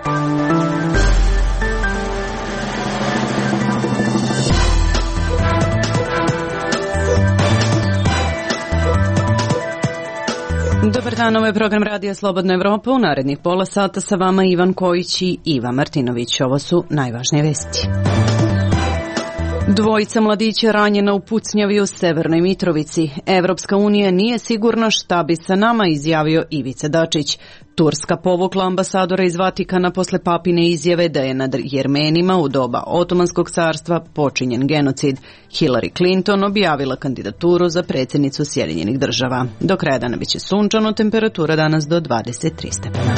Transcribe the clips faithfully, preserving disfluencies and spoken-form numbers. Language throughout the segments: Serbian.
Dobar dan, ovo je program Radija Slobodna Evropa. U narednih pola sata sa vama Ivan Kojić i Iva Martinović. Ovo su najvažnije vesti. Dvojica mladića ranjena u pucnjavi u Severnoj Mitrovici. Evropska unija nije sigurna šta bi sa nama, izjavio Ivica Dačić. Turska povukla ambasadora iz Vatikana posle papine izjave da je nad Jermenima u doba Otomanskog carstva počinjen genocid. Hillary Clinton objavila kandidaturu za predsjednicu Sjedinjenih država. Do kraja dana biće sunčano, temperatura danas do dvadeset tri stepena.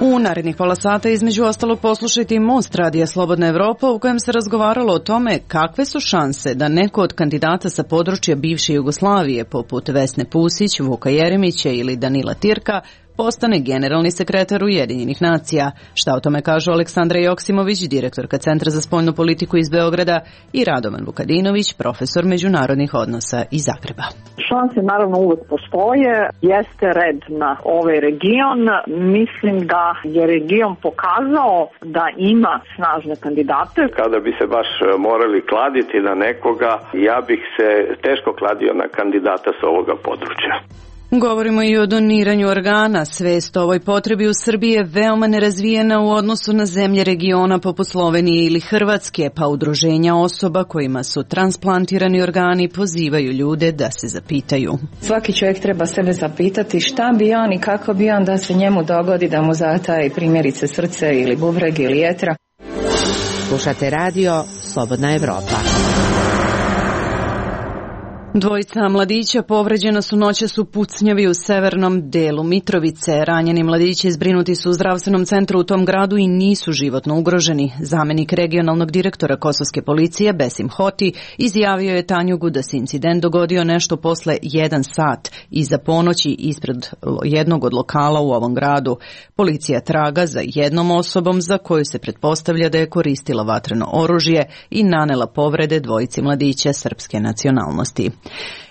U narednih pola sata između ostalog poslušajte i Most Radija Slobodna Evropa u kojem se razgovaralo o tome kakve su šanse da neko od kandidata sa područja bivše Jugoslavije poput Vesne Pusić, Vuka Jeremića ili Danila Tirka postane generalni sekretar Ujedinjenih nacija. Šta o tome kažu Aleksandra Joksimović, direktorka Centra za spoljnu politiku iz Beograda, i Radovan Vukadinović, profesor međunarodnih odnosa iz Zagreba. Šanse naravno uvek postoje, jeste red na ovaj region. Mislim da je region pokazao da ima snažne kandidate. Kada bi se baš morali kladiti na nekoga, ja bih se teško kladio na kandidata sa ovoga područja. Govorimo i o doniranju organa. Svest o ovoj potrebi u Srbiji je veoma nerazvijena u odnosu na zemlje regiona poput Slovenije ili Hrvatske, pa udruženja osoba kojima su transplantirani organi pozivaju ljude da se zapitaju. Svaki čovjek treba sebe zapitati šta bi on i kako bi on da se njemu dogodi da mu zataje primjerice srce ili bubreg ili jetra. Slušate radio Slobodna Evropa. Dvojica mladića povređena su noćas u pucnjavi u severnom delu Mitrovice. Ranjeni mladići zbrinuti su u zdravstvenom centru u tom gradu i nisu životno ugroženi. Zamenik regionalnog direktora kosovske policije Besim Hoti izjavio je Tanjugu da se incident dogodio nešto posle jedan sat iza ponoći ispred jednog od lokala u ovom gradu. Policija traga za jednom osobom za koju se pretpostavlja da je koristila vatreno oružje i nanela povrede dvojici mladića srpske nacionalnosti.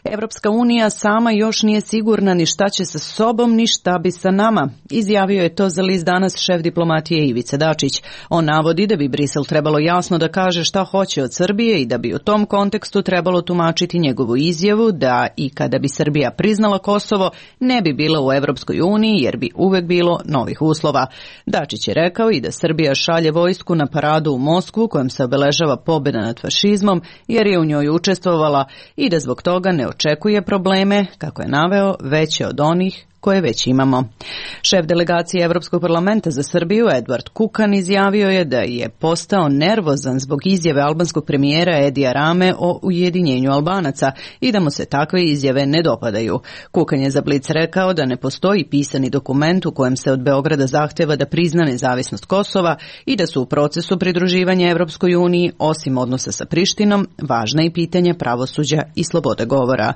Evropska unija sama još nije sigurna ni šta će sa sobom, ni šta bi sa nama. Izjavio je to za list Danas šef diplomatije Ivica Dačić. On navodi da bi Brisel trebalo jasno da kaže šta hoće od Srbije i da bi u tom kontekstu trebalo tumačiti njegovu izjavu da i kada bi Srbija priznala Kosovo ne bi bila u Evropskoj uniji jer bi uvek bilo novih uslova. Dačić je rekao i da Srbija šalje vojsku na paradu u Moskvu kojom se obeležava pobjeda nad fašizmom jer je u njoj učestvovala i da zbog toga ne očekuje probleme, kako je naveo, veće od onih koje već imamo. Šef delegacije Evropskog parlamenta za Srbiju, Edward Kukan, izjavio je da je postao nervozan zbog izjave albanskog premijera Edija Rame o ujedinjenju Albanaca i da mu se takve izjave ne dopadaju. Kukan je za Blic rekao da ne postoji pisani dokument u kojem se od Beograda zahteva da prizna nezavisnost Kosova i da su u procesu pridruživanja Evropskoj uniji, osim odnosa sa Prištinom, važna i pitanja pravosuđa i slobode govora.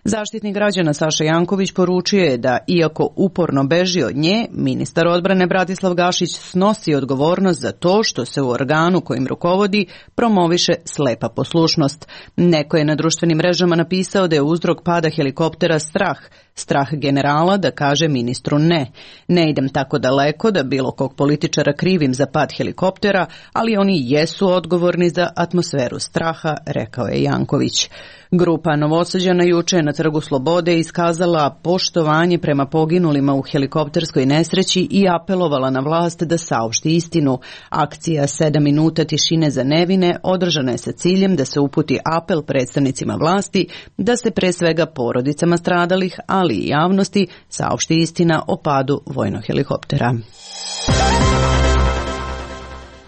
Zaštitnik građana Saša Janković poručio je da, iako uporno beži od nje, ministar odbrane Bratislav Gašić snosi odgovornost za to što se u organu kojim rukovodi promoviše slepa poslušnost. Neko je na društvenim mrežama napisao da je uzrok pada helikoptera strah, strah generala da kaže ministru ne. Ne idem tako daleko da bilo kog političara krivim za pad helikoptera, ali oni jesu odgovorni za atmosferu straha, rekao je Janković. Grupa Novosađana juče na Trgu Slobode iskazala poštovanje prema poginulima u helikopterskoj nesreći i apelovala na vlast da saopšti istinu. Akcija sedam minuta tišine za nevine održana je sa ciljem da se uputi apel predstavnicima vlasti da se pre svega porodicama stradalih, ali i javnosti saopšti istina o padu vojnog helikoptera.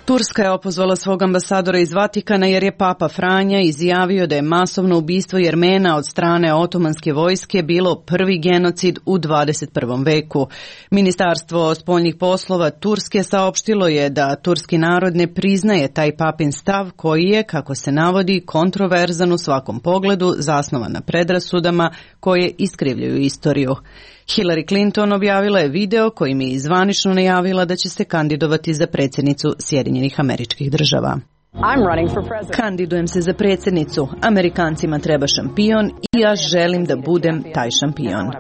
Turska je opozvala svog ambasadora iz Vatikana jer je Papa Franja izjavio da je masovno ubistvo Jermena od strane otomanske vojske bilo prvi genocid u dvadeset prvom veku. Ministarstvo spoljnih poslova Turske saopštilo je da turski narod ne priznaje taj papin stav koji je, kako se navodi, kontroverzan u svakom pogledu, zasnovan na predrasudama koje iskrivljuju istoriju. Hillary Clinton objavila je video kojim je zvanično najavila da će se kandidovati za predsjednicu Sjedinjenih Američkih Država. Kandidujem se za predsjednicu. Amerikancima treba šampion i ja želim da budem taj šampion.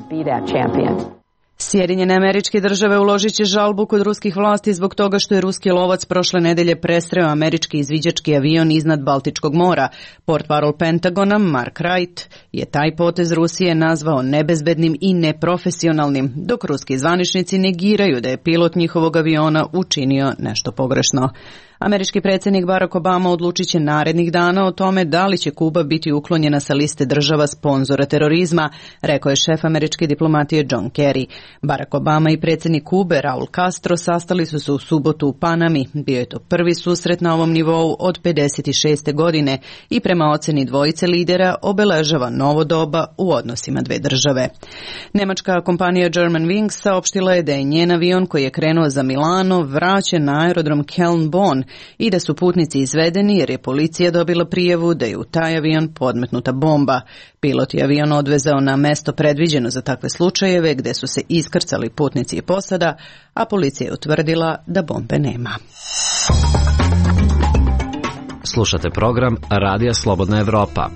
Sjedinjene Američke Države uložit će žalbu kod ruskih vlasti zbog toga što je ruski lovac prošle nedelje presreo američki izviđački avion iznad Baltičkog mora. Portparol Pentagona Mark Wright je taj potez Rusije nazvao nebezbednim i neprofesionalnim, dok ruski zvaničnici negiraju da je pilot njihovog aviona učinio nešto pogrešno. Američki predsjednik Barack Obama odlučit će narednih dana o tome da li će Kuba biti uklonjena sa liste država sponzora terorizma, rekao je šef američke diplomatije John Kerry. Barack Obama i predsjednik Kube Raul Castro sastali su se u subotu u Panami. Bio je to prvi susret na ovom nivou od pedeset šeste godine i prema oceni dvojice lidera obeležava novo doba u odnosima dve države. Nemačka kompanija Germanwings saopštila je da je njen avion koji je krenuo za Milano vraćen na aerodrom Köln-Bonn i da su putnici izvedeni jer je policija dobila prijavu da je u taj avion podmetnuta bomba. Pilot je avion odvezao na mesto predviđeno za takve slučajeve gde su se iskrcali putnici i posada, a policija je utvrdila da bombe nema. Slušate program Radija Slobodna Evropa.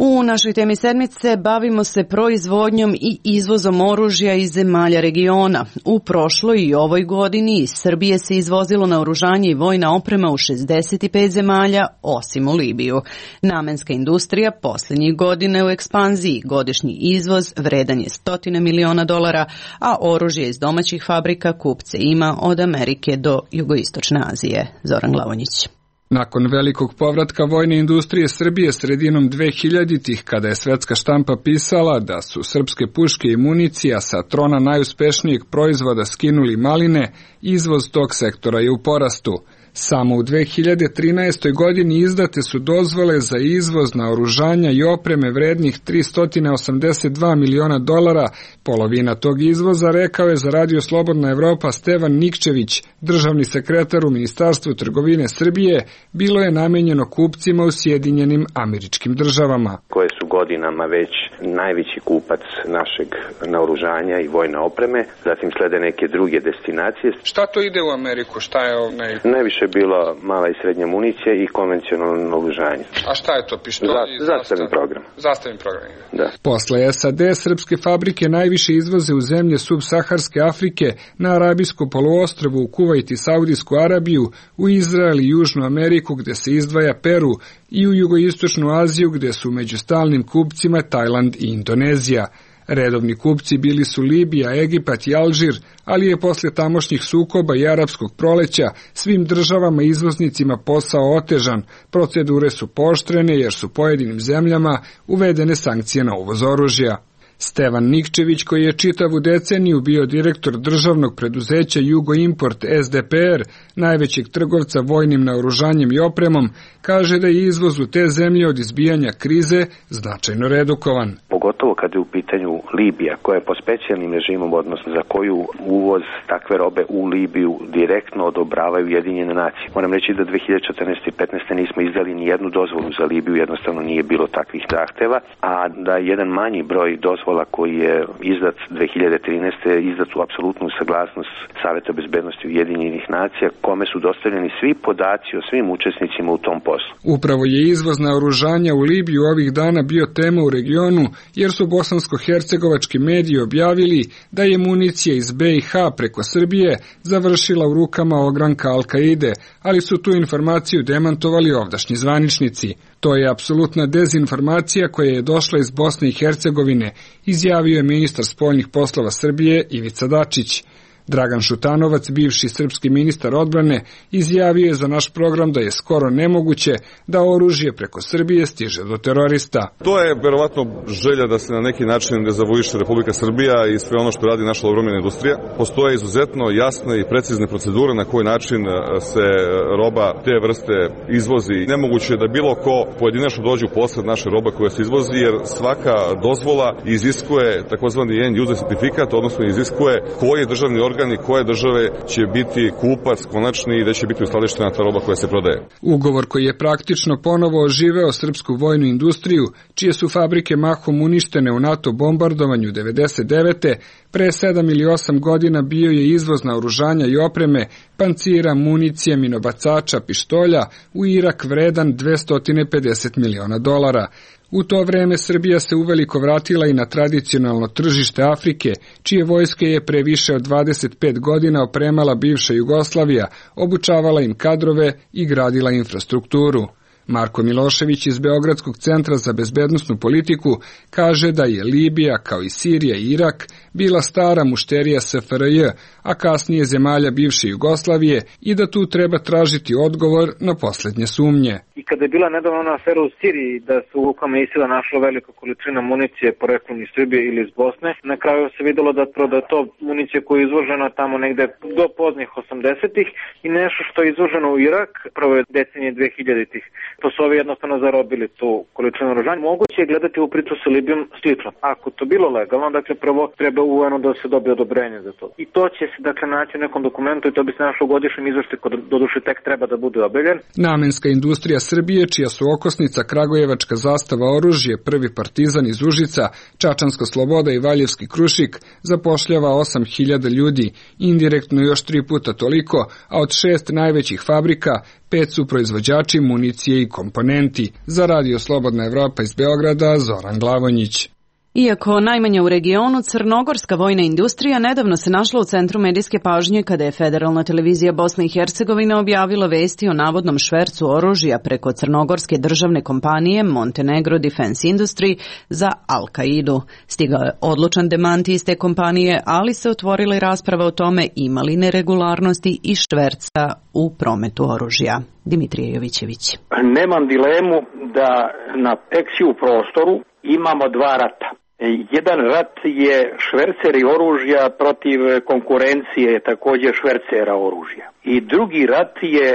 U našoj temi sedmice bavimo se proizvodnjom i izvozom oružja iz zemalja regiona. U prošloj i ovoj godini iz Srbije se izvozilo naoružanje i vojna oprema u šezdeset pet zemalja, osim u Libiju. Namenska industrija posljednjih godina u ekspanziji, godišnji izvoz vredan je stotine miliona dolara, a oružje iz domaćih fabrika kupce ima od Amerike do Jugoistočne Azije. Zoran Glavonjić. Nakon velikog povratka vojne industrije Srbije sredinom dvehiljaditih, kada je svetska štampa pisala da su srpske puške i municija sa trona najuspešnijeg proizvoda skinuli maline, izvoz tog sektora je u porastu. Samo u dve hiljade trinaestoj. godini izdate su dozvole za izvoz naoružanja i opreme vrednih tristo osamdeset dva miliona dolara. Polovina tog izvoza, rekao je za Radio Slobodna Evropa Stevan Nikčević, državni sekretar u Ministarstvu trgovine Srbije, bilo je namenjeno kupcima u Sjedinjenim Američkim Državama. Koje su godinama već najveći kupac našeg naoružanja i vojne opreme, zatim slede neke druge destinacije. Šta to ide u Ameriku? Šta je naj... najviše je bila mala i srednja municija i konvencionalno naoružanje. A šta je to? Pištolj? Za, zastavni program. Zastavni program. Da. Posle S A D, srpske fabrike najviše izvoze u zemlje subsaharske Afrike, na Arabijsko poluostrvo, u Kuvajt i Saudijsku Arabiju, u Izrael i Južnu Ameriku gde se izdvaja Peru i u Jugoistočnu Aziju gde su među stalnim kupcima Tajland i Indonezija. Redovni kupci bili su Libija, Egipat i Alžir, ali je posle tamošnjih sukoba i arapskog proleća svim državama izvoznicima posao otežan. Procedure su pooštrene jer su pojedinim zemljama uvedene sankcije na uvoz oružja. Stevan Nikčević, koji je čitavu deceniju bio direktor državnog preduzeća Jugoimport S D P R, najvećeg trgovca vojnim naoružanjem i opremom, kaže da je izvoz u te zemlje od izbijanja krize značajno redukovan. Pogotovo kad je u pitanju Libija, koja je po specijalnim režimom, odnosno za koju uvoz takve robe u Libiju direktno odobravaju Ujedinjene nacije. Moram reći da dve hiljade četrnaeste. i petnaeste. nismo izdali ni jednu dozvolu za Libiju, jednostavno nije bilo takvih zahteva, a da jedan manji broj dozvola koji je izdat dve hiljade trinaeste. izdat u apsolutnu saglasnost Saveta bezbednosti Ujedinjenih nacija, kome su dostavljeni svi podaci o svim učesnicima u tom poslu. Upravo je izvoz naoružanja u Libiju ovih dana bio tema u regionu, jer su bosansko-hercegovački mediji objavili da je municija iz B i H preko Srbije završila u rukama ogranka Al-Kaide, ali su tu informaciju demantovali ovdašnji zvaničnici. To je apsolutna dezinformacija koja je došla iz Bosne i Hercegovine, izjavio je ministar spoljnih poslova Srbije Ivica Dačić. Dragan Šutanovac, bivši srpski ministar odbrane, izjavio je za naš program da je skoro nemoguće da oružje preko Srbije stiže do terorista. To je verovatno želja da se na neki način dezavuiše Republika Srbija i sve ono što radi naša obrambena industrija. Postoje izuzetno jasne i precizne procedure na koji način se roba te vrste izvozi. Nemoguće je da bilo ko pojedinačno dođe u posjed naše roba koja se izvozi, jer svaka dozvola iziskuje takozvani end user certifikat, odnosno iziskuje koji državni organ i koje države će biti kupac konačni i da će biti uskladištena ta roba koja se prodaje. Ugovor koji je praktično ponovo oživeo srpsku vojnu industriju, čije su fabrike mahom uništene u NATO bombardovanju devedeset devete. Pre sedam ili osam godina bio je izvoz naoružanja i opreme, pancira, municije, minobacača, pištolja u Irak vredan dvesta pedeset miliona dolara. U to vreme Srbija se uveliko vratila i na tradicionalno tržište Afrike, čije vojske je pre više od dvadeset pet godina opremala bivša Jugoslavija, obučavala im kadrove i gradila infrastrukturu. Marko Milošević iz Beogradskog centra za bezbednosnu politiku kaže da je Libija, kao i Sirija i Irak, bila stara mušterija S F R J, a kasnije zemalja bivše Jugoslavije i da tu treba tražiti odgovor na poslednje sumnje. I kada je bila nedavno ona afera u Siriji da su u rukama ISIL-a našla velika količina municije poreklom iz Srbije ili iz Bosne, na kraju se videlo da je to municija koja je izvožena tamo negde do poznih osamdesetih i nešto što je izvoženo u Irak prvo je decenije dvehiljaditih. To su ovi jednostavno zarobili tu količinu oružanja. Moguće je gledati u priču sa Libijom slično. Ako to bilo legalno, dakle prvo treba u U N-u da se dobije odobrenje za to. I to će se dakle naći u nekom dokumentu i to bi se našlo u godišnjem izveštaju koji doduše tek treba da bude objavljen. Namenska industrija Srbije, čija su okosnica Kragujevačka zastava oružje, Prvi partizan iz Užica, Čačanska sloboda i Valjevski Krušik, zapošljava osam hiljada ljudi, indirektno još tri puta toliko, a od šest najvećih fabrika pet su proizvođači municije i komponenti. Za Radio Slobodna Evropa iz Beograda, Zoran Glavonjić. Iako najmanje u regionu, crnogorska vojna industrija nedavno se našla u centru medijske pažnje kada je Federalna televizija Bosne i Hercegovine objavila vesti o navodnom švercu oružja preko crnogorske državne kompanije Montenegro Defense Industry za Al-Kaidu. Stigao je odlučan demanti iz te kompanije, ali se otvorila i rasprava o tome ima li neregularnosti i šverca u prometu oružja. Dimitrije Jovićević. Nemam dilemu da na Peksiju prostoru imamo dva rata. Jedan rat je šverceri oružja protiv konkurencije, također švercera oružja. I drugi rat je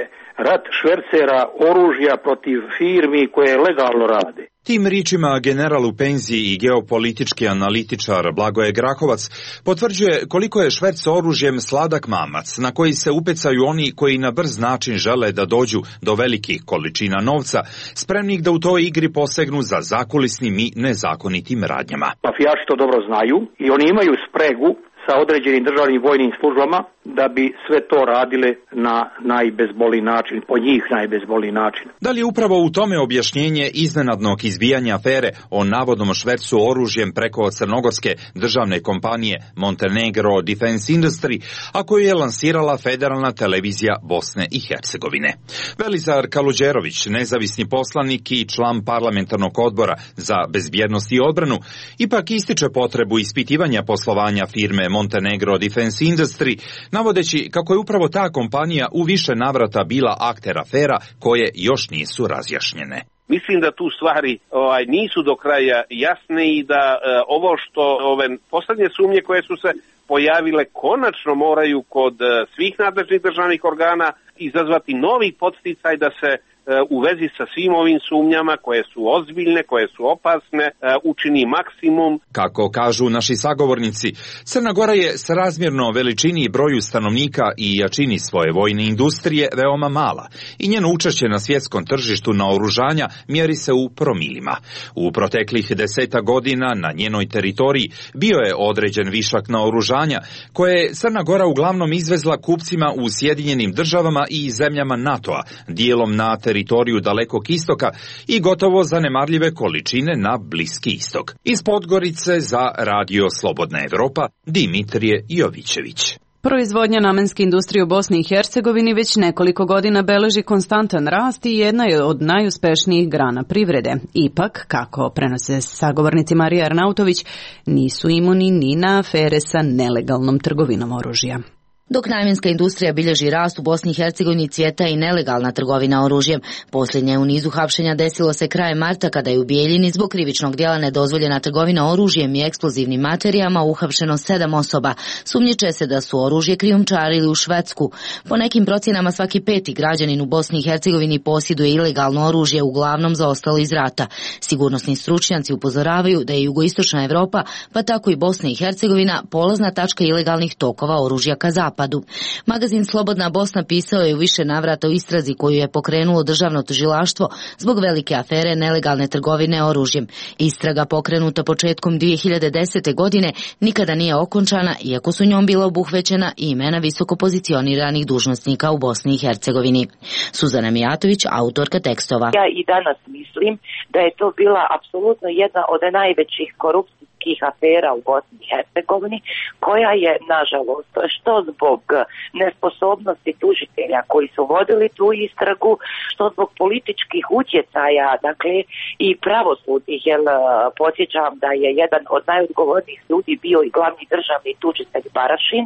rat švercera oružja protiv firmi koje legalno rade. Tim ričima general u penziji i geopolitički analitičar Blagoje Grahovac potvrđuje koliko je šverc oružjem sladak mamac na koji se upecaju oni koji na brz način žele da dođu do velikih količina novca, spremnih da u toj igri posegnu za zakulisnim i nezakonitim radnjama. Mafijaši to dobro znaju i oni imaju spregu sa određenim državnim vojnim službama da bi sve to radile na najbezbolniji način, po njih najbezbolniji način. Da li je upravo u tome objašnjenje iznenadnog izbijanja afere o navodnom švercu oružjem preko crnogorske državne kompanije Montenegro Defense Industry, a koju je lansirala Federalna televizija Bosne i Hercegovine? Velizar Kaluđerović, nezavisni poslanik i član parlamentarnog odbora za bezbjednost i odbranu, ipak ističe potrebu ispitivanja poslovanja firme Montenegro Defense Industry, navodeći kako je upravo ta kompanija u više navrata bila akter afera koje još nisu razjašnjene. Mislim da tu stvari ovaj, nisu do kraja jasne i da e, ovo što ove poslednje sumnje koje su se pojavile konačno moraju kod e, svih nadležnih državnih organa izazvati novi podsticaj da se u vezi sa svim ovim sumnjama koje su ozbiljne, koje su opasne, učini maksimum. Kako kažu naši sagovornici, Crna Gora je srazmjerno veličini i broju stanovnika i jačini svoje vojne industrije veoma mala i njeno učešće na svjetskom tržištu naoružanja mjeri se u promilima. U proteklih deseta godina na njenoj teritoriji bio je određen višak naoružanja koje je Crna Gora uglavnom izvezla kupcima u Sjedinjenim državama i zemljama NATO-a, dijelom na teritoriju teritoriju Dalekog istoka i gotovo zanemarljive količine na Bliski istok. Iz Podgorice za Radio Slobodna Evropa, Dimitrije Jovićević. Proizvodnja namenske industrije u Bosni i Hercegovini već nekoliko godina beleži konstantan rast i jedna je od najuspešnijih grana privrede. Ipak, kako prenose sagovornici Marija Arnautović, nisu imuni ni na afere sa nelegalnom trgovinom oružja. Dok namenska industrija bilježi rast u Bosni i Hercegovini, cvjeta i nelegalna trgovina oružjem. Posljednje u nizu hapšenja desilo se krajem marta kada je u Bijeljini zbog krivičnog djela nedozvoljena trgovina oružjem i eksplozivnim materijama uhapšeno sedam osoba. Sumnjiče se da su oružje krijumčarili u Švedsku. Po nekim procjenama svaki peti građanin u Bosni i Hercegovini posjeduje ilegalno oružje, uglavnom zaostalo iz rata. Sigurnosni stručnjaci upozoravaju da je jugoistočna Evropa, pa tako i Bosna i Hercegovina, polazna tačka ilegalnih tokova oružja ka zapadu. zapadu. Magazin Slobodna Bosna pisao je u više navrata o istrazi koju je pokrenulo državno tužilaštvo zbog velike afere nelegalne trgovine oružjem. Istraga pokrenuta početkom dvije hiljade desete. godine nikada nije okončana, iako su njom bila obuhvećena i imena visoko pozicioniranih dužnosnika u Bosni i Hercegovini. Suzana Mijatović, autorka tekstova. Ja i danas mislim da je to bila apsolutno jedna od najvećih korupcijskih afera u Bosni i Hercegovini, koja je, nažalost, što zbog nesposobnosti tužitelja koji su vodili tu istragu, što zbog političkih utjecaja, dakle, i pravosudnih, jer podsjećam da je jedan od najodgovornijih ljudi bio i glavni državni tužitelj Barašin,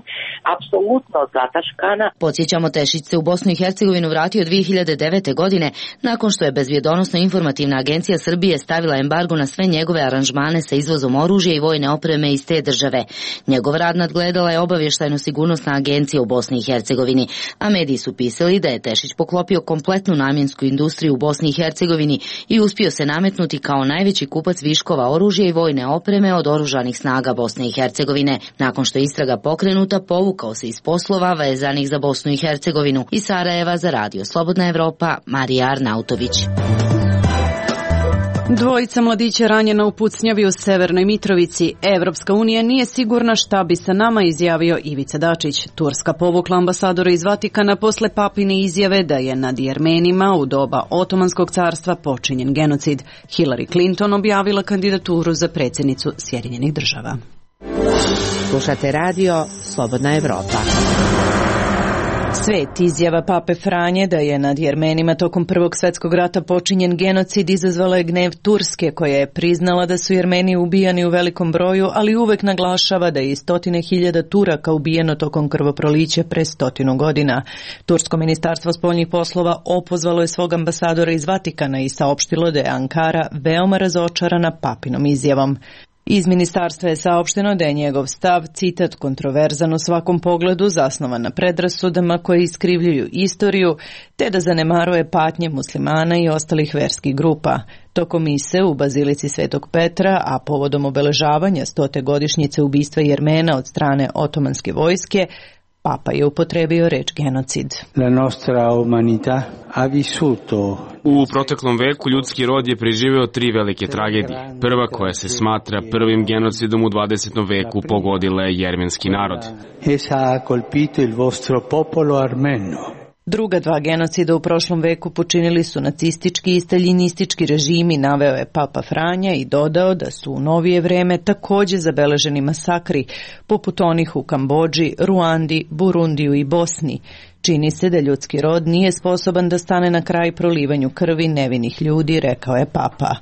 apsolutno zataškana. Podsjećamo, Tešić se u Bosnu i Hercegovinu vratio dvije hiljade devete. godine, nakon što je Bezbjedonosno informativna agencija Srbije stavila embargo na sve njegove aranžmane sa izvozom oružja i vojne opreme iz te države. Njegov rad nadgledala je obavještajno-sigurnosna agencija u Bosni i Hercegovini, a mediji su pisali da je Tešić poklopio kompletnu namjensku industriju u Bosni i Hercegovini i uspio se nametnuti kao najveći kupac viškova oružja i vojne opreme od oružanih snaga Bosne i Hercegovine. Nakon što je istraga pokrenuta, povukao se iz poslova vezanih za Bosnu i Hercegovinu. Iz Sarajeva za Radio Slobodna Evropa, Marija Arnautović. Dvojica mladića ranjena u pucnjavi u Severnoj Mitrovici. Evropska unija nije sigurna šta bi sa nama, izjavio Ivica Dačić. Turska povukla ambasadora iz Vatikana posle papine izjave da je nad Jermenima u doba Otomanskog carstva počinjen genocid. Hillary Clinton objavila kandidaturu za predsjednicu Sjedinjenih država. Slušate radio Slobodna Evropa. Svet, izjava pape Franje da je nad Jermenima tokom Prvog svjetskog rata počinjen genocid, izazvala je gnev Turske, koja je priznala da su Jermeni ubijani u velikom broju, ali uvek naglašava da je i stotine hiljada Turaka ubijeno tokom krvoprolića pre stotinu godina. Tursko ministarstvo spoljnih poslova opozvalo je svog ambasadora iz Vatikana i saopštilo da je Ankara veoma razočarana papinom izjavom. Iz ministarstva je saopšteno da je njegov stav, citat, kontroverzan u svakom pogledu, zasnovan na predrasudama koje iskrivljuju istoriju, te da zanemaruje patnje muslimana i ostalih verskih grupa. Tokom mise u Bazilici Svetog Petra, a povodom obeležavanja stote godišnjice ubistva Jermena od strane otomanske vojske, Papa je upotrebio reč genocid. La nostra umanità ha vissuto. U proteklom veku ljudski rod je preživeo tri velike tragedije. Prva, koja se smatra prvim genocidom u dvadesetom veku, pogodila je jermenski narod. Essa ha colpito il vostro popolo armeno. Druga dva genocida u prošlom veku počinili su nacistički i staljinistički režimi, naveo je Papa Franja i dodao da su u novije vreme također zabeleženi masakri, poput onih u Kambodži, Ruandi, Burundiju i Bosni. Čini se da ljudski rod nije sposoban da stane na kraj prolivanju krvi nevinih ljudi, rekao je Papa.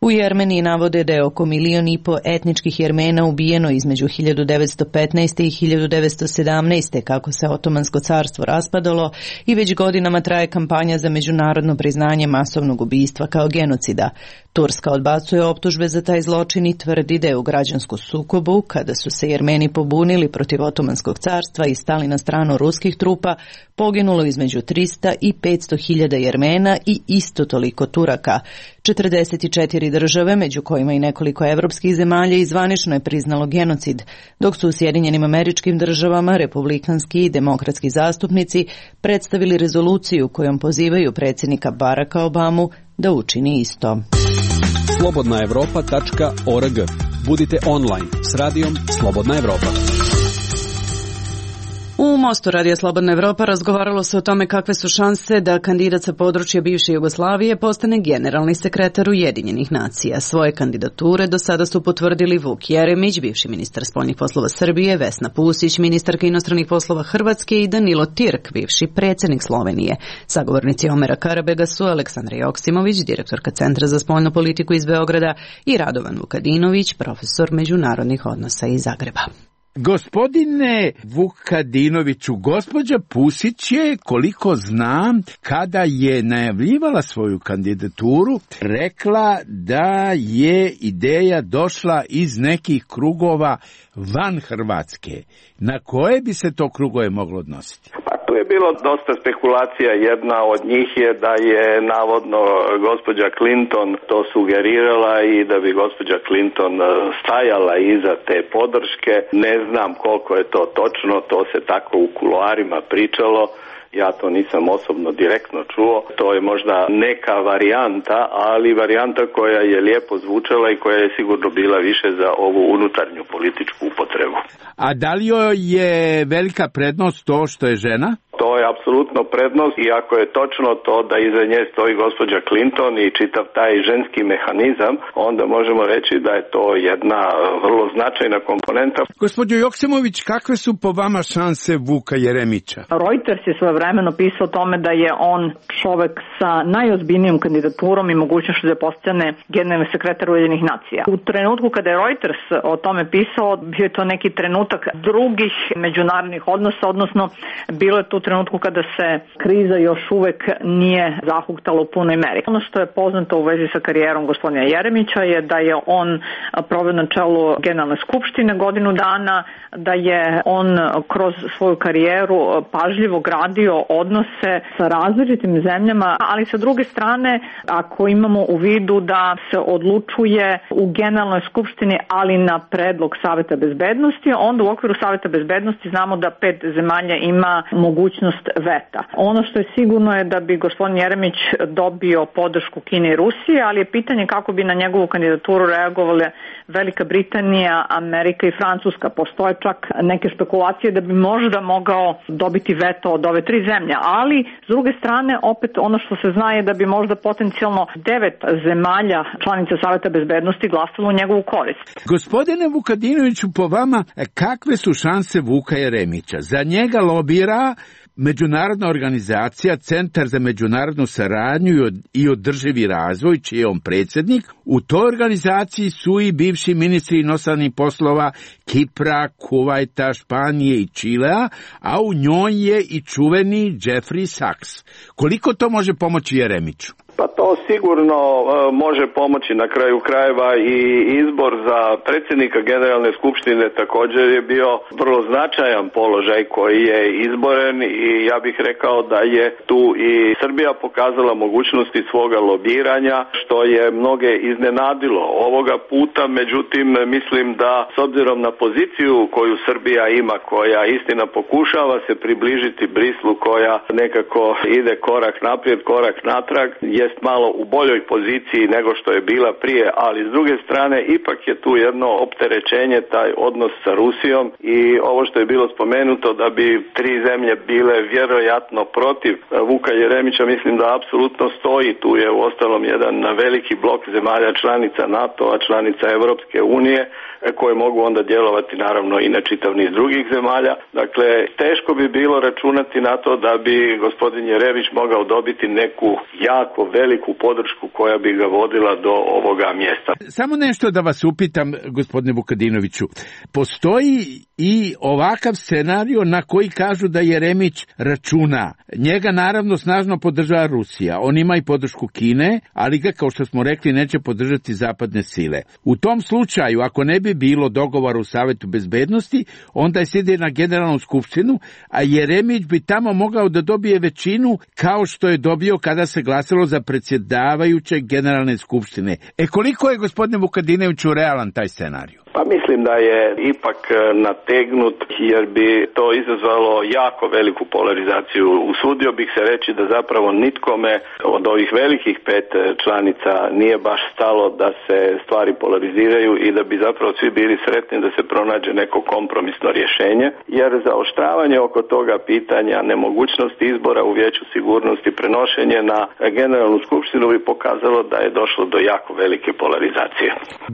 U Jermeniji navode da je oko milion i po etničkih Jermena ubijeno između hiljadu devetsto petnaeste. i hiljadu devetsto sedamnaeste. kako se Otomansko carstvo raspadalo i već godinama traje kampanja za međunarodno priznanje masovnog ubijstva kao genocida. Turska odbacuje optužbe za taj zločin i tvrdi da je u građansku sukobu, kada su se Jermeni pobunili protiv Otomanskog carstva i stali na stranu ruskih trupa, poginulo između trista i petsto hiljada Jermena i isto toliko Turaka. četrdeset četiri države, među kojima i nekoliko evropskih zemalja, izvanično je priznalo genocid, dok su u Sjedinjenim Američkim Državama republikanski i demokratski zastupnici predstavili rezoluciju kojom pozivaju predsjednika Baracka Obamu da učini isto. slobodna evropa tačka org. Budite online s radijom Slobodna Evropa. U Mostu Radija Slobodna Evropa razgovaralo se o tome kakve su šanse da kandidat sa područja bivše Jugoslavije postane generalni sekretar Ujedinjenih nacija. Svoje kandidature do sada su potvrdili Vuk Jeremić, bivši ministar spoljnih poslova Srbije, Vesna Pusić, ministarka inostranih poslova Hrvatske i Danilo Tirk, bivši predsjednik Slovenije. Sagovornici Omera Karabega su Aleksandra Joksimović, direktorka Centra za spoljnu politiku iz Beograda, i Radovan Vukadinović, profesor međunarodnih odnosa iz Zagreba. Gospodine Vukadinoviću, gospođa Pusić je, koliko znam, kada je najavljivala svoju kandidaturu, rekla da je ideja došla iz nekih krugova van Hrvatske. Na koje bi se to krugove moglo odnositi? Pa to Tu je bilo dosta spekulacija, jedna od njih je da je navodno gospođa Clinton to sugerirala i da bi gospođa Clinton stajala iza te podrške. Ne znam koliko je to točno, to se tako u kuloarima pričalo. Ja to nisam osobno direktno čuo. To je možda neka varijanta, ali varijanta koja je lijepo zvučala i koja je sigurno bila više za ovu unutarnju političku upotrebu. A da li joj je velika prednost to što je žena? To je apsolutno prednost i ako je točno to da iza nje stoji gospođa Clinton i čitav taj ženski mehanizam, onda možemo reći da je to jedna vrlo značajna komponenta. Gospođo Joksimović, kakve su po vama šanse Vuka Jeremića? Reuters je svojevremeno pisao o tome da je on čovek sa najozbiljnijom kandidaturom i mogućnošću da postane generalni sekretar Ujedinjenih nacija. U trenutku kada je Reuters o tome pisao, bio je to neki trenutak drugih međunarodnih odnosa, odnosno bilo je tu trenutku kada se kriza još uvek nije zahuktala u punoj meri. Ono što je poznato u vezi sa karijerom gospodina Jeremića je da je on proveo na čelu Generalne skupštine godinu dana, da je on kroz svoju karijeru pažljivo gradio odnose sa različitim zemljama, ali sa druge strane, ako imamo u vidu da se odlučuje u Generalnoj skupštini, ali na predlog Saveta bezbednosti, onda u okviru Saveta bezbednosti znamo da pet zemalja ima mogućnost veta. Ono što je sigurno je da bi gospodin Jeremić dobio podršku Kine i Rusije, ali je pitanje kako bi na njegovu kandidaturu reagovale Velika Britanija, Amerika i Francuska. Postoje čak neke špekulacije da bi možda mogao dobiti veto od ove tri zemlje, ali s druge strane opet ono što se zna je da bi možda potencijalno devet zemalja članica Saveta bezbednosti glasalo u njegovu korist. Gospodine Vukadinoviću, po vama kakve su šanse Vuka Jeremića? Za njega lobira međunarodna organizacija Centar za međunarodnu saradnju i održivi razvoj, čiji je on predsjednik. U toj organizaciji su i bivši ministri inostranih poslova Kipra, Kuvajta, Španije i Čilea, a u njoj je i čuveni Jeffrey Sachs. Koliko to može pomoći Jeremiću? Pa to sigurno uh, može pomoći. Na kraju krajeva i izbor za predsjednika Generalne skupštine također je bio vrlo značajan položaj koji je izboren i ja bih rekao da je tu i Srbija pokazala mogućnosti svoga lobiranja, što je mnoge iznenadilo ovoga puta. Međutim, mislim da s obzirom na poziciju koju Srbija ima, koja istina pokušava se približiti Brislu, koja nekako ide korak naprijed, korak natrag, jest malo u boljoj poziciji nego što je bila prije, ali s druge strane ipak je tu jedno opterećenje, taj odnos sa Rusijom i ovo što je bilo spomenuto da bi tri zemlje bile vjerojatno protiv Vuka Jeremića, mislim da apsolutno stoji. Tu je u ostalom jedan veliki blok zemalja članica NATO-a, članica Europske unije, koje mogu onda djelovati naravno i na čitav niz drugih zemalja. Dakle, teško bi bilo računati na to da bi gospodin Jeremić mogao dobiti neku jako veliku podršku koja bi ga vodila do ovoga mjesta. Samo nešto da vas upitam, gospodine Vukadinoviću. Postoji i ovakav scenario na koji kažu da Jeremić računa. Njega naravno snažno podržava Rusija. On ima i podršku Kine, ali ga, kao što smo rekli, neće podržati zapadne sile. U tom slučaju, ako ne bi bilo dogovora u Savetu bezbednosti, onda je sjede na Generalnu skupštinu, a Jeremić bi tamo mogao da dobije većinu kao što je dobio kada se glasalo za predsjedavajućeg Generalne skupštine. E koliko je, gospodine Vukadinoviću, realan taj scenarij? Pa mislim da je ipak nategnut jer bi to izazvalo jako veliku polarizaciju. Usudio bih se reći da zapravo nitkome od ovih velikih pet članica nije baš stalo da se stvari polariziraju i da bi zapravo svi bili sretni da se pronađe neko kompromisno rješenje, jer zaoštravanje oko toga pitanja, nemogućnost izbora u Vijeću sigurnosti, prenošenje na Generalnu skupštinu bi pokazalo da je došlo do jako velike polarizacije.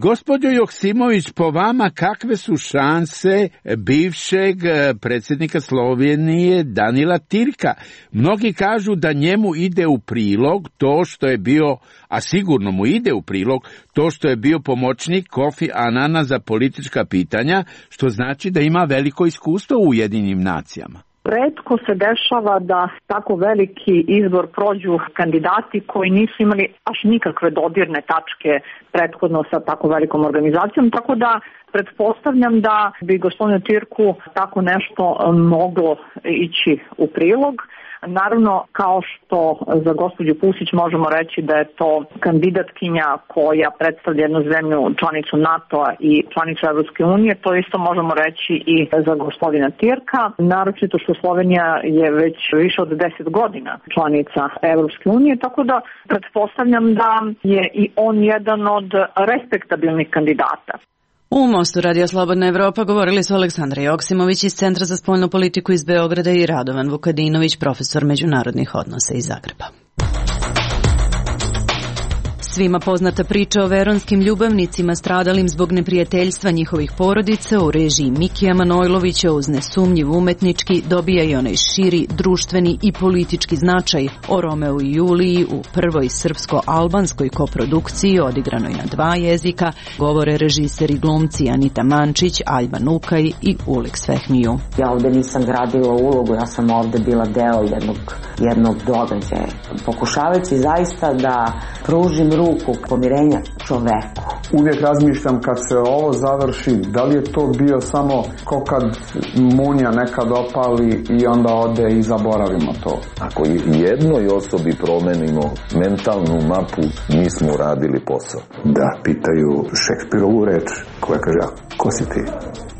Gospođo Joksimović, po vama kakve su šanse bivšeg predsjednika Slovenije Danila Tirka? Mnogi kažu da njemu ide u prilog to što je bio, a sigurno mu ide u prilog, to što je bio pomoćnik Kofi Anana za politička pitanja, što znači da ima veliko iskustvo u Ujedinjenim nacijama. Retko se dešava da tako veliki izbor prođu kandidati koji nisu imali baš nikakve dodirne tačke prethodno sa tako velikom organizacijom, tako da pretpostavljam da bi gospodinu Tirku tako nešto moglo ići u prilog. Naravno, kao što za gospođu Pusić možemo reći da je to kandidatkinja koja predstavlja jednu zemlju članicu NATO-a i članicu Evropske unije, to isto možemo reći i za gospodina Tirka, naročito što Slovenija je već više od deset godina članica Evropske unije, tako da pretpostavljam da je i on jedan od respektabilnih kandidata. U Mostu Radio Slobodna Evropa govorili su Aleksandra Joksimović iz Centra za spoljnu politiku iz Beograda i Radovan Vukadinović, profesor međunarodnih odnosa iz Zagreba. Svima poznata priča o veronskim ljubavnicima stradalim zbog neprijateljstva njihovih porodica u režiji Mikija Manojlovića uz nesumnjiv umetnički dobija i onaj širi, društveni i politički značaj o Romeu i Juliji u prvoj srpsko-albanskoj koprodukciji odigranoj na dva jezika, govore režiseri glumci Anita Mančić, Aljba Nukaj i Ulik Svehmiju. Ja ovde nisam gradila ulogu, ja sam ovde bila deo jednog, jednog događaja. Pokušavajući zaista da pružim ruku pomirenja čoveku. Uvijek razmišljam kad se ovo završi, da li je to bio samo ko kad munja nekad opali i onda ode i zaboravimo to. Ako jednoj osobi promenimo mentalnu mapu, mi smo uradili posao. Da pitaju Šekspirovu reč koja kaže, a ko si ti?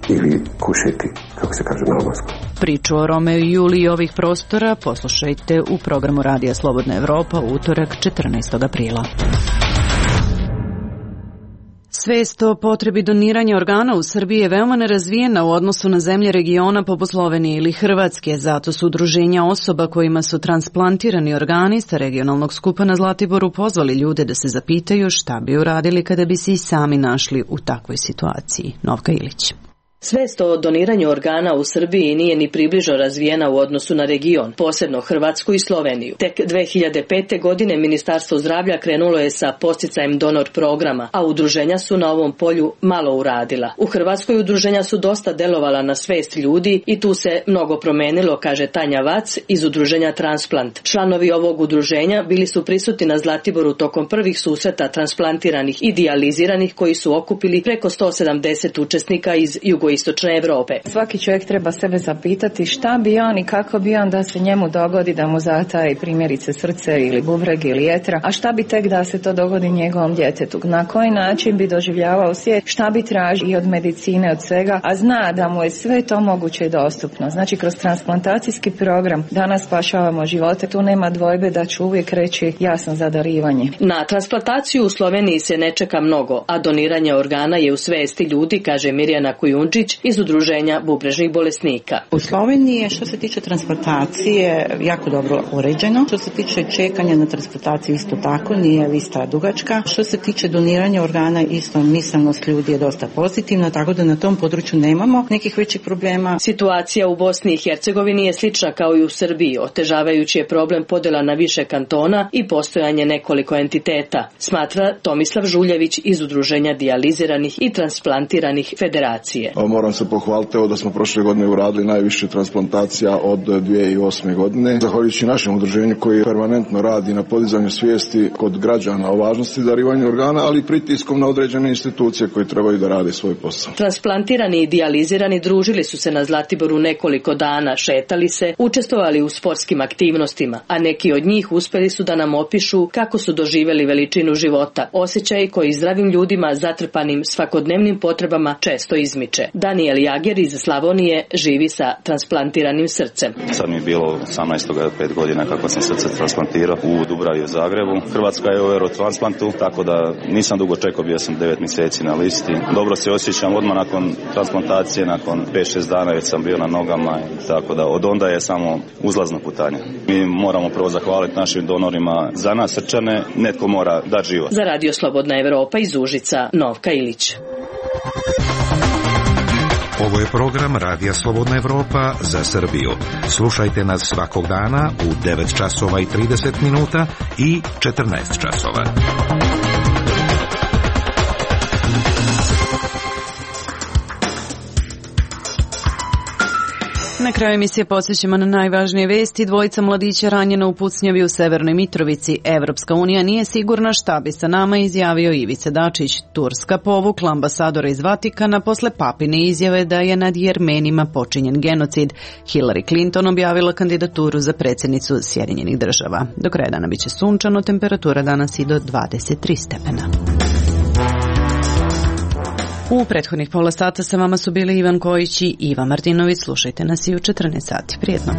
Ili kušiti, kako se kaže na albanskom. Priču o Romeu i Juliji ovih prostora poslušajte u programu Radija Slobodna Evropa u utorak četrnaestog aprila. Svest o potrebi doniranja organa u Srbiji je veoma nerazvijena u odnosu na zemlje regiona poput Slovenije ili Hrvatske, zato su udruženja osoba kojima su transplantirani organi sa regionalnog skupa na Zlatiboru pozvali ljude da se zapitaju šta bi uradili kada bi se i sami našli u takvoj situaciji. Novka Ilić. Svest o doniranju organa u Srbiji nije ni približno razvijena u odnosu na region, posebno Hrvatsku i Sloveniju. Tek dve hiljade pete. godine Ministarstvo zdravlja krenulo je sa podsticajem donor programa, a udruženja su na ovom polju malo uradila. U Hrvatskoj udruženja su dosta delovala na svest ljudi i tu se mnogo promenilo, kaže Tanja Vac iz udruženja Transplant. Članovi ovog udruženja bili su prisutni na Zlatiboru tokom prvih susreta transplantiranih i dijaliziranih koji su okupili preko sto sedamdeset učesnika iz jugoistočne Evrope. Svaki čovjek treba sebe zapitati šta bi on i kako bi on da se njemu dogodi da mu zataji primjerice srce ili bubreg ili jetra, a šta bi tek da se to dogodi njegovom djetetu. Na koji način bi doživljavao svijet, šta bi tražio i od medicine, od svega, a zna da mu je sve to moguće i dostupno. Znači kroz transplantacijski program danas spašavamo živote, tu nema dvojbe da ću uvijek reći ja sam za darivanje. Na transplantaciju u Sloveniji se ne čeka mnogo, a doniranje organa je u svesti ljudi, kaže Mirjana Kujundžić iz udruženja bubrežnih bolesnika. U Sloveniji je što se tiče transplantacije jako dobro uređeno. Što se tiče čekanja na transplantaciju isto tako, nije lista dugačka. Što se tiče doniranja organa isto misanost ljudi je dosta pozitivna, tako da na tom području nemamo nekih većih problema. Situacija u Bosni i Hercegovini je slična kao i u Srbiji. Otežavajući je problem podjela na više kantona i postojanje nekoliko entiteta, smatra Tomislav Žuljević iz udruženja dijaliziranih i transplantiranih federacije. Moram se pohvaliti evo da smo prošle godine uradili najviše transplantacija od dvije hiljade osme. godine. Zahvaljujući našem udruženju koji permanentno radi na podizanju svijesti kod građana o važnosti darivanja organa, ali i pritiskom na određene institucije koje trebaju da rade svoj posao. Transplantirani i dijalizirani družili su se na Zlatiboru nekoliko dana, šetali se, učestvovali u sportskim aktivnostima, a neki od njih uspeli su da nam opišu kako su doživjeli veličinu života, osjećaj koji zdravim ljudima zatrpanim svakodnevnim potrebama često izmiče. Daniel Jager iz Slavonije živi sa transplantiranim srcem. Sad mi je bilo osamnaest pet godina kako sam srce transplantirao u Dubravi u Zagrebu. Hrvatska je u Eurotransplantu, tako da nisam dugo čekao, bio sam devet mjeseci na listi. Dobro se osjećam odmah nakon transplantacije, nakon pet šest dana već sam bio na nogama, tako da od onda je samo uzlazno putanje. Mi moramo prvo zahvaliti našim donorima za nas srčane, netko mora dati život. Za Radio Slobodna Evropa iz Užica, Novka Ilić. Ovo je program Radija Slobodna Evropa za Srbiju. Slušajte nas svakog dana u devet časova i trideset minuta i četrnaest časova. Na kraju emisije podsjećamo na najvažnije vesti. Dvojica mladića ranjena u pucnjavi u Severnoj Mitrovici. Evropska unija nije sigurna šta bi sa nama, izjavio Ivica Dačić. Turska povukla ambasadora iz Vatikana posle papine izjave da je nad Jermenima počinjen genocid. Hillary Clinton objavila kandidaturu za predsjednicu Sjedinjenih država. Do kraja dana biće sunčano, temperatura danas i do dvadeset tri stepena. U prethodnih pola sata sa vama su bili Ivan Kojić i Iva Martinović. Slušajte nas i u četrnaest sati. Prijetno.